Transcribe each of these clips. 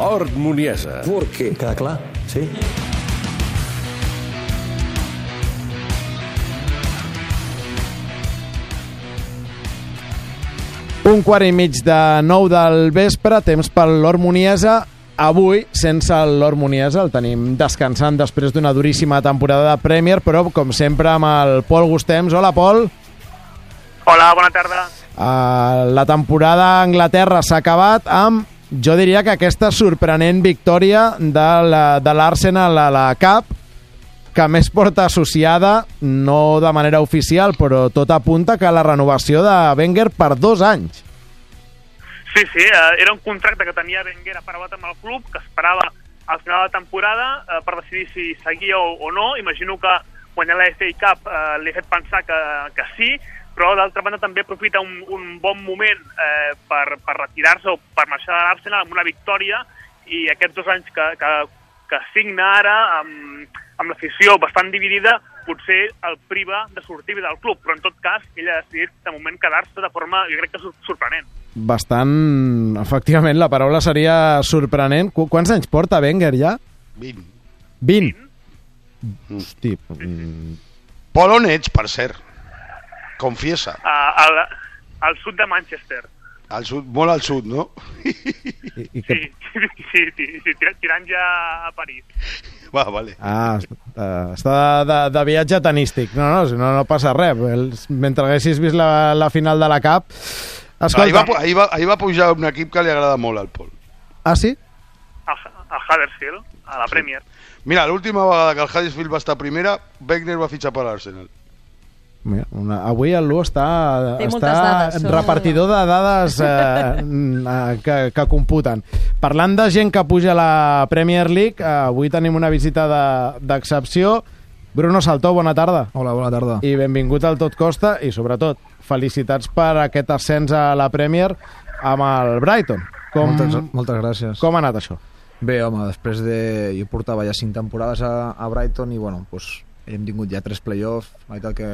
Lord Muniesa. ¿Por qué? Queda clar, sí? Un quart i mig de 9 del vespre, temps pel Lord Muniesa. Avui, sense el Lord Muniesa, el tenim descansant després d'una duríssima temporada de Premier, però, com sempre, amb el Pol Gustems. Hola, Pol. Hola, bona tarda. La temporada a Anglaterra s'ha acabat amb, jo diria que aquesta sorprenent victòria de l'Arsenal a la Cup, que més porta associada, no de manera oficial, però tot apunta que la renovació de Wenger per 2 anys. Sí, era un contracte que tenia Wenger aparegut amb el club, que esperava al final de la temporada per decidir si seguia o no. Imagino que guanyar la FA Cup li ha fet pensar que sí, però d'altra banda també aprofita un bon moment per retirar-se o per marxar de l'Arsenal amb una victòria, i aquests 2 anys que signa ara amb l'afició bastant dividida potser el priva de sortir del club, però en tot cas ell ha decidit de moment quedar-se de forma, jo crec que sorprenent. Bastant, efectivament, la paraula seria sorprenent. Quants anys porta Wenger ja? 20. 20? Hosti. Pol, on ets, per cert? Confiesa. Al sud de Manchester. Al sud, molt al sud, no? Sí, tirant ja a París. Va, vale. Està de viatge tenístic. No passa res. Mentre haguessis vist la final de la Cup... Escolta... Ahir va pujar un equip que li agrada molt al Pol. Ah, sí? A Huddersfield, a la Premier. Mira, l'última vegada que el Huddersfield va estar a primera, Wenger va fitxar per l'Arsenal. Avui el Lu està repartidor de dades que computen. Parlant de gent que puja a la Premier League, avui tenim una visita d'excepció. Bruno Saltó, bona tarda. Hola, bona tarda. I benvingut al Tot Costa, i sobretot felicitats per aquest ascens a la Premier amb el Brighton. Moltes gràcies. Com ha anat això? Bé, home, després de... Jo portava ja 5 temporades a Brighton i, bueno, doncs hem tingut ja 3 play-offs, la veritat que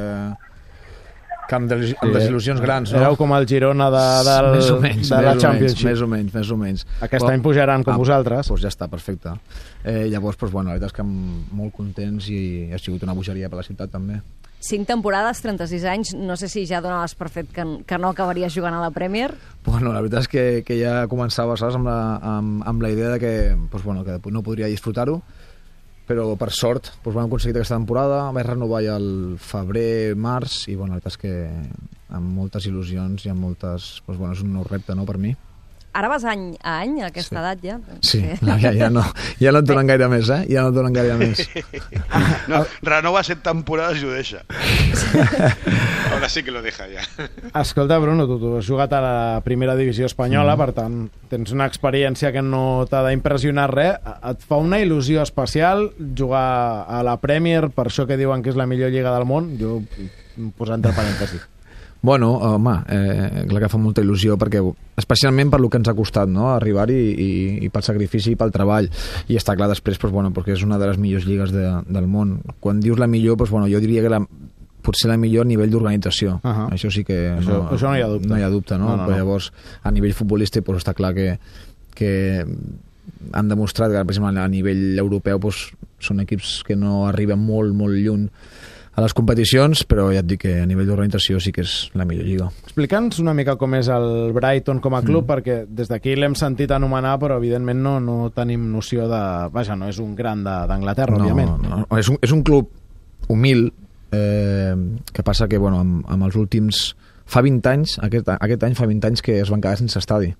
amb desil·lusions grans, no? Éreu com el Girona de la Championship. Més o menys. Aquest any pujaran com vosaltres. Doncs ja està, perfecte. Llavors, la veritat és que molt contents i ha sigut una bogeria per la ciutat també. 5 temporades, 36 anys, no sé si ja donaves per fet que no acabaries jugant a la Premier? Bueno, la veritat és que ja començava, saps, amb la idea de que no podria disfrutar-ho, però per sort vam aconseguir aquesta temporada, vaig renovar ja el febrer, març, i la veritat és que amb moltes il·lusions i amb moltes... és un nou repte, no, per mi. Ara vas any a any, a aquesta edat, ja? Sí, ja no et donen gaire més, eh? Ja no et donen gaire més. No, renova 7 temporades i ho deixa. Ahora sí que lo deja, ja. Escolta, Bruno, tu has jugat a la primera divisió espanyola, per tant, tens una experiència que no t'ha d'impressionar res. Et fa una il·lusió especial jugar a la Premier, per això que diuen que és la millor lliga del món? Jo poso entre parèntesis. Bueno, home, clar que fa molta il·lusió, perquè especialment per lo que ens ha costat, no?, arribar-hi i pel sacrifici i pel treball. I està clar després, perquè és una de les millors lligues del món. Quan dius la millor, jo diria que potser la millor a nivell d'organització. Això sí que això no hi ha dubte. No hi ha dubte, no? Però llavors, a nivell futbolístic, està clar que han demostrat que, per exemple, a nivell europeu són equips que no arriben molt, molt lluny a les competicions, però ja et dic que a nivell d'organització sí que és la millor lliga. Explica'ns una mica com és el Brighton com a club, perquè des d'aquí l'hem sentit anomenar, però evidentment no tenim noció de... Vaja, no és un gran d'Anglaterra, òbviament. No. És un club humil, que passa que, amb els últims... Fa 20 anys, aquest any fa 20 anys que es van quedar sense estadi.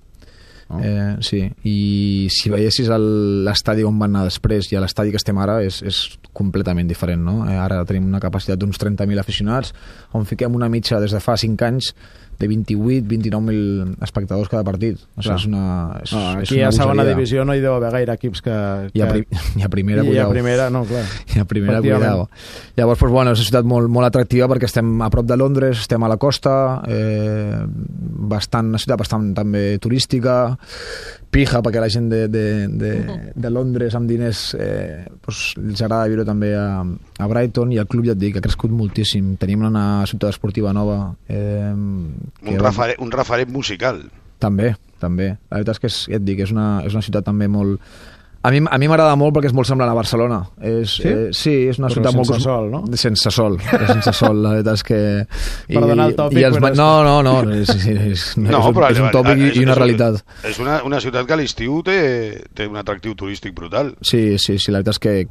Sí, i si veiessis l'estadi on van anar després i l'estadi que estem ara és completament diferent, no? Ara tenim una capacitat d'uns 30.000 aficionats, on fiquem una mitja des de fa 5 anys de 28-29.000 espectadors cada partit. Aquí a segona divisió no hi deu haver gaire equips que... I a primera, cuidao. I a primera, no, clar. I a primera, cuidao. Llavors, és una ciutat molt, molt atractiva perquè estem a prop de Londres, estem a la costa, una ciutat bastant també turística, pija perquè la gent de Londres amb diners els agrada viure també a Brighton, i el club, ja et dic, ha crescut moltíssim. Tenim una ciutat esportiva nova, un referent musical. També. La veritat és que ja et dic, és una ciutat també molt... A mi m'agrada molt perquè és molt semblant a Barcelona. Sí? Sí, és una però ciutat molt... sense sol, no? Sense sol, la veritat és que... Perdona el tòpic, però... No, però és un tòpic i una realitat. És una ciutat que a l'estiu té un atractiu turístic brutal. Sí, la veritat és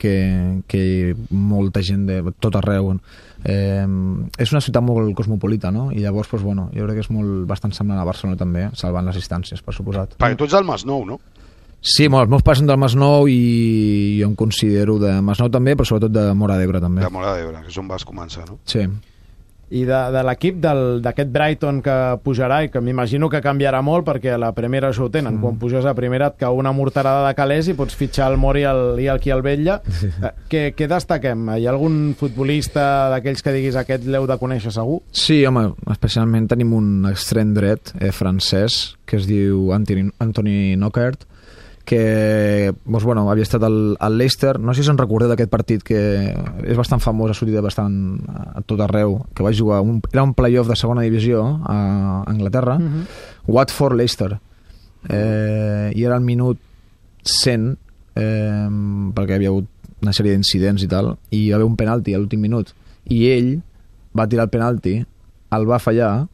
que molta gent de tot arreu... és una ciutat molt cosmopolita, no? I llavors, doncs, bueno, jo crec que és bastant semblant a Barcelona també, salvant les distàncies, per suposat. Perquè tu ets del Masnou, no? Sí, els meus pares són del Masnou i jo em considero de Masnou també, però sobretot de Móra d'Ebre també. De Móra d'Ebre, que és on vas començar, no? Sí. I de l'equip d'aquest Brighton que pujarà, i que m'imagino que canviarà molt perquè a la primera això ho tenen, quan puges a primera et cau una morterada de calés i pots fitxar el Mori i el Quialbella. Què destaquem? Hi ha algun futbolista d'aquells que diguis aquest l'heu de conèixer segur? Sí, home, especialment tenim un extrem dret francès que es diu Anthony Knockaert, que doncs, bueno, havia estat al Leicester. No sé si se'n recordeu d'aquest partit que és bastant famós, ha sortit bastant a tot arreu, que va jugar era un playoff de segona divisió a Anglaterra, Watford-Leicester, i era el minut 100, perquè hi havia hagut una sèrie d'incidents i tal, i hi va haver un penalti a l'últim minut i ell va tirar el penalti, el va fallar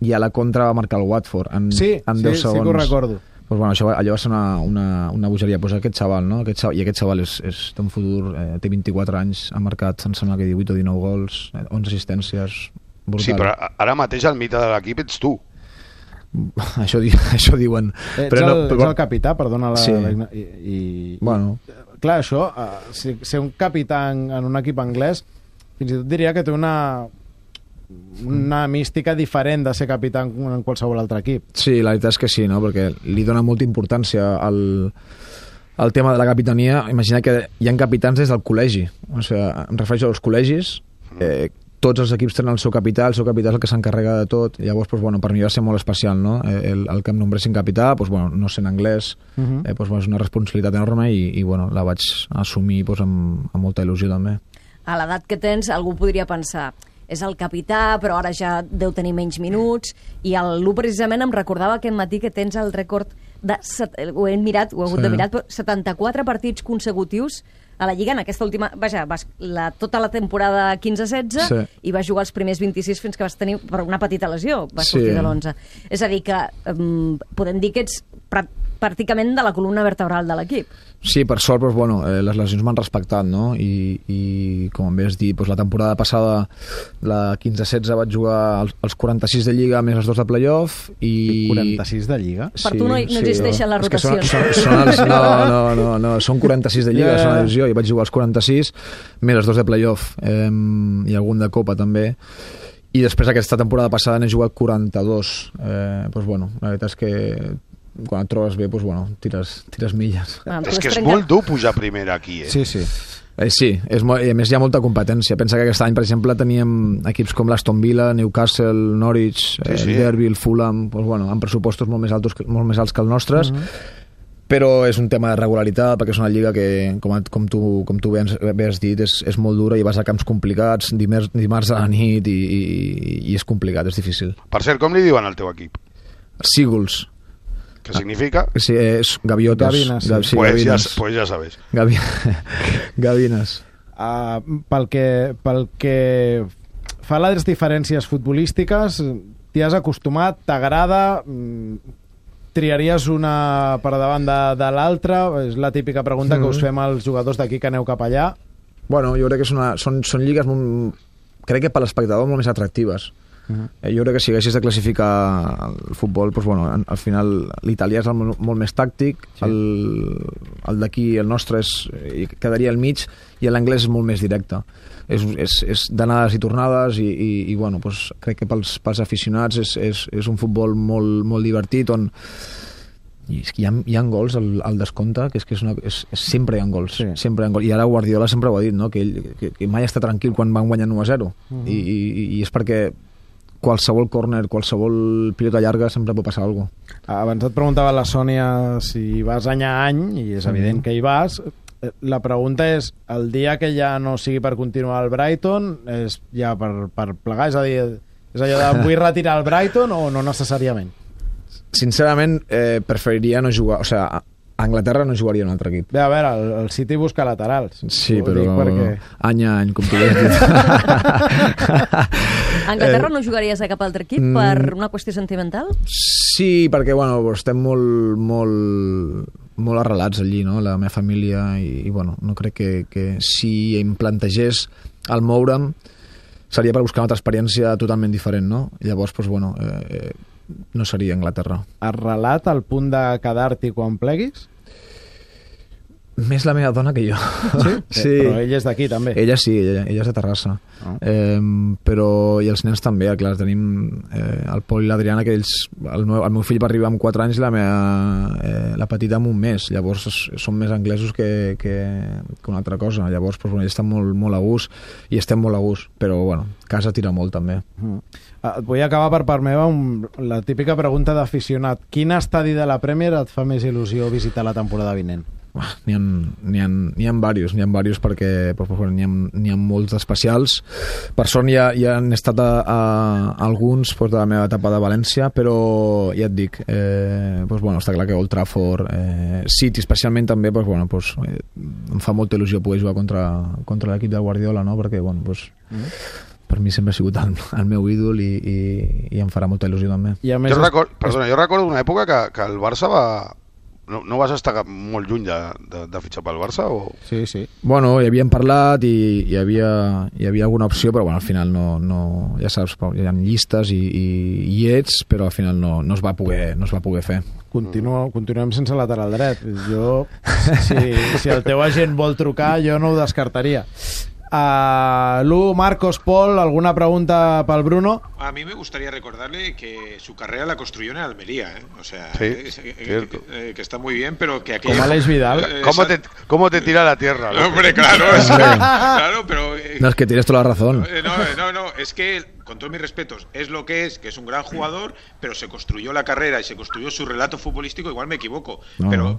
i a la contra va marcar el Watford en 10 segons. Sí que ho recordo. Pues bueno, allò va ser una bogeria. Pues aquest xaval, no? Aquest xaval té un futur, té 24 anys, ha marcat, em sembla que 18 o 19 gols, 11 assistències, brutal. Sí, però ara mateix el mite de l'equip ets tu. Això diuen. Ets el capità, perdona la... Sí. Bueno. Clar, això, ser un capità en un equip anglès, fins i tot diria que té una mística diferent de ser capità en qualsevol altre equip. Sí, la veritat és que sí, no? Perquè li dona molta importància al tema de la capitania. Imagina que hi ha capitans des del col·legi. O sigui, em refereixo als col·legis, tots els equips tenen el seu capità és el que s'encarrega de tot. Llavors, doncs, bueno, per mi va ser molt especial, no? El que em nombressin capità, doncs, bueno, no sent anglès, doncs, és una responsabilitat enorme i bueno, la vaig assumir doncs, amb molta il·lusió també. A l'edat que tens, algú podria pensar és el capità, però ara ja deu tenir menys minuts, i Lu precisament em recordava aquest matí que tens el rècord de... Ho he hagut de mirar, però 74 partits consecutius a la Lliga en aquesta última... Vaja, tota la temporada 15-16 i vas jugar els primers 26 fins que vas tenir, per una petita lesió, vas sortir de l'11. És a dir, que podem dir que ets pràcticament de la columna vertebral de l'equip. Sí, per sort, doncs, bueno, les lesions m'han respectat, no? I com em vas dir, doncs, la temporada passada, la 15-16, vaig jugar els 46 de Lliga més els 2 de playoff. I 46 de Lliga? Per tu no existeixen les rotacions. No, són 46 de Lliga, són la divisió, i vaig jugar els 46 més els 2 de playoff i algun de Copa també. I després aquesta temporada passada n'he jugat 42. Doncs, bueno, la veritat és que quan et trobes bé, doncs, bueno, tires milles. És que és molt dur pujar primera aquí, Sí. Sí, i a més hi ha molta competència. Pensa que aquest any, per exemple, teníem equips com l'Aston Villa, Newcastle, Norwich, Derby, Fulham, doncs, bueno, amb pressupostos molt més alts que els nostres, però és un tema de regularitat, perquè és una lliga que, com tu bé has dit, és molt dura i vas a camps complicats, dimarts a la nit, i és complicat, és difícil. Per cert, com li diuen al teu equip? Seagulls. ¿Qué significa? Sí, es gaviotas. Gavinas, sí. Sí, pues, gavinas. Pues ya sabes. Gavinas. Pel que fa a les diferències futbolístiques, t'hi has acostumat, t'agrada, triaries una per davant de l'altra? És la típica pregunta que us fem als jugadors d'aquí que aneu cap allà. Bueno, jo crec que són lligues crec que per l'espectador molt més atractives. Jo crec que si haguessis de classificar el futbol, doncs, bueno, al final l'italià és molt més tàctic, el d'aquí, el nostre, quedaria al mig, i l'anglès és molt més directe. És d'anades i tornades, i bueno, doncs, crec que pels aficionats és un futbol molt divertit, on hi ha gols al descompte, que sempre hi ha gols, sempre hi ha gols. I ara Guardiola sempre ho ha dit, no? que mai està tranquil quan van guanyant 1-0, i és perquè qualsevol córner, qualsevol pilota llarga sempre pot passar alguna cosa. Abans et preguntava la Sònia si vas any a any, i és evident que hi vas. La pregunta és, el dia que ja no sigui per continuar al Brighton, és ja per plegar? És a dir, és allò de vull retirar el Brighton o no necessàriament? sincerament, preferiria no jugar... O sigui, a Anglaterra no jugaria un altre equip. Bé, a veure, el City busca laterals. Sí, Ho però dic perquè... any a any, com tu has dit. A Anglaterra no jugaries a cap altre equip per una qüestió sentimental? Sí, perquè bueno, estem molt arrelats allí, no? La meva família, i bueno, no crec que si em plantegés el moure'm seria per buscar una altra experiència totalment diferent, no? Llavors, doncs, bueno, no seria Anglaterra. Arrelat al punt de quedar-t'hi quan pleguis? Més la meva dona que jo. Sí? Sí. Però ella és d'aquí, també. Ella sí, ella és de Terrassa. Però, i els nens també, clar, tenim el Pol i l'Adriana, que ells, el meu fill va arribar amb 4 anys i la petita amb un mes. Llavors són més anglesos que una altra cosa. Llavors, doncs, bueno, ells estan molt a gust i estem molt a gust, però bueno, casa tira molt també. Vull acabar per part meva amb la típica pregunta d'aficionat. Quin estadi de la Premier et fa més il·lusió visitar la temporada vinent? N'hi ha diversos perquè n'hi ha molts especials. Per sort ja han estat a alguns de la meva etapa de València, però ja et dic, bueno, està clar que Old Trafford, City especialment també, em fa molta il·lusió poder jugar contra l'equip del Guardiola, no? Perquè bueno, per mi sempre ha sigut el meu ídol i em farà molta il·lusió també. Jo recordo una època que el Barça va... No vas estar molt lluny de fitxar pel Barça? O... Sí. Bueno, hi havíem parlat i hi havia alguna opció, però bueno, al final no, ja saps, hi ha llistes i ets, però al final no es va poder fer. Continuem sense lateral dret. Jo, si el teu agent vol trucar, jo no ho descartaria. Lu, Marcos, Paul, ¿alguna pregunta para el Bruno? A mí me gustaría recordarle que su carrera la construyó en Almería, ¿eh? O sea, sí, que está muy bien, pero que aquí... Como Alex Vidal. ¿Cómo te tira la tierra? ¿No? Hombre, claro, claro, pero... No, es que tienes toda la razón. No, es que, con todos mis respetos, es lo que es un gran jugador, pero se construyó la carrera y se construyó su relato futbolístico, igual me equivoco,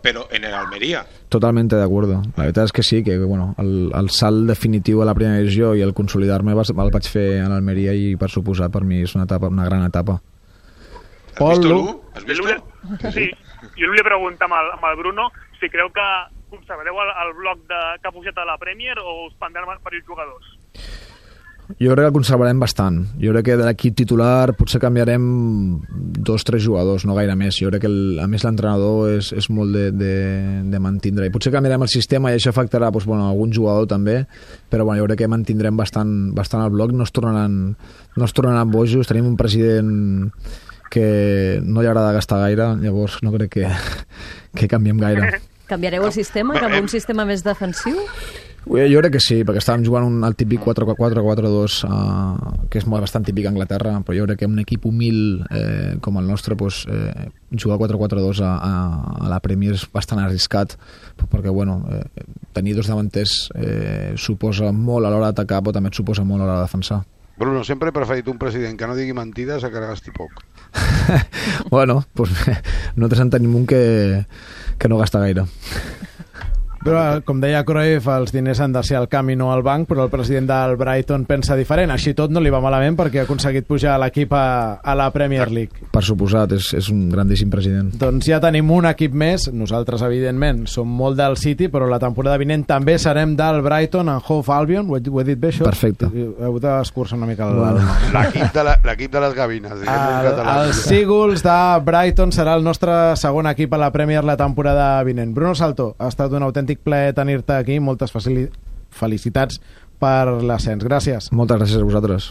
pero en el Almería. Totalmente de acuerdo. La veritat és que sí, que bueno, el salt definitiu a la primera divisió i el consolidar-me el vaig fer a l'Almeria i per suposar per mi és una gran etapa. ¿Has visto, Lu? ¿Has visto? Sí, jo li volia preguntar amb el Bruno si creu que conservareu el bloc que ha pujat a la Premier o us prendran per els jugadors. Jo crec que el conservarem bastant. Jo crec que de l'equip titular potser canviarem 2-3 jugadors, no gaire més. Jo crec que a més l'entrenador és molt de mantindre. I potser canviarem el sistema i això afectarà algun jugador també, però jo crec que mantindrem bastant el bloc. No es tornaran bojos. Tenim un president que no li agrada gastar gaire, llavors no crec que canviem gaire. Canviareu el sistema cap a un sistema més defensiu? Jo crec que sí, perquè estàvem jugant el típic 4-4-4-2, que és bastant típic a Anglaterra, però jo crec que un equip humil com el nostre, jugar 4-4-2 a la Premier és bastant arriscat, perquè tenir dos davanters suposa molt a l'hora d'atacar, però també et suposa molt a l'hora de defensar. Bruno, sempre he preferit un president que no digui mentides a que gasti poc. Bueno, nosaltres en tenim un que no gasta gaire. Però, com deia Cruyff, els diners han de ser al camp i no al banc, però el president del Brighton pensa diferent. Així tot no li va malament perquè ha aconseguit pujar l'equip a la Premier League. Per suposat, és un grandíssim president. Doncs ja tenim un equip més. Nosaltres, evidentment, som molt del City, però la temporada vinent també serem del Brighton and Hove Albion. Ho he dit bé, això? Perfecte. Heu d'escurçar una mica l'equip de les gavines. Els Seagulls de Brighton serà el nostre segon equip a la Premier la temporada vinent. Bruno Salto, ha estat un autèntic plaer tenir-te aquí. Moltes felicitats per l'ascens. Gràcies. Moltes gràcies a vosaltres.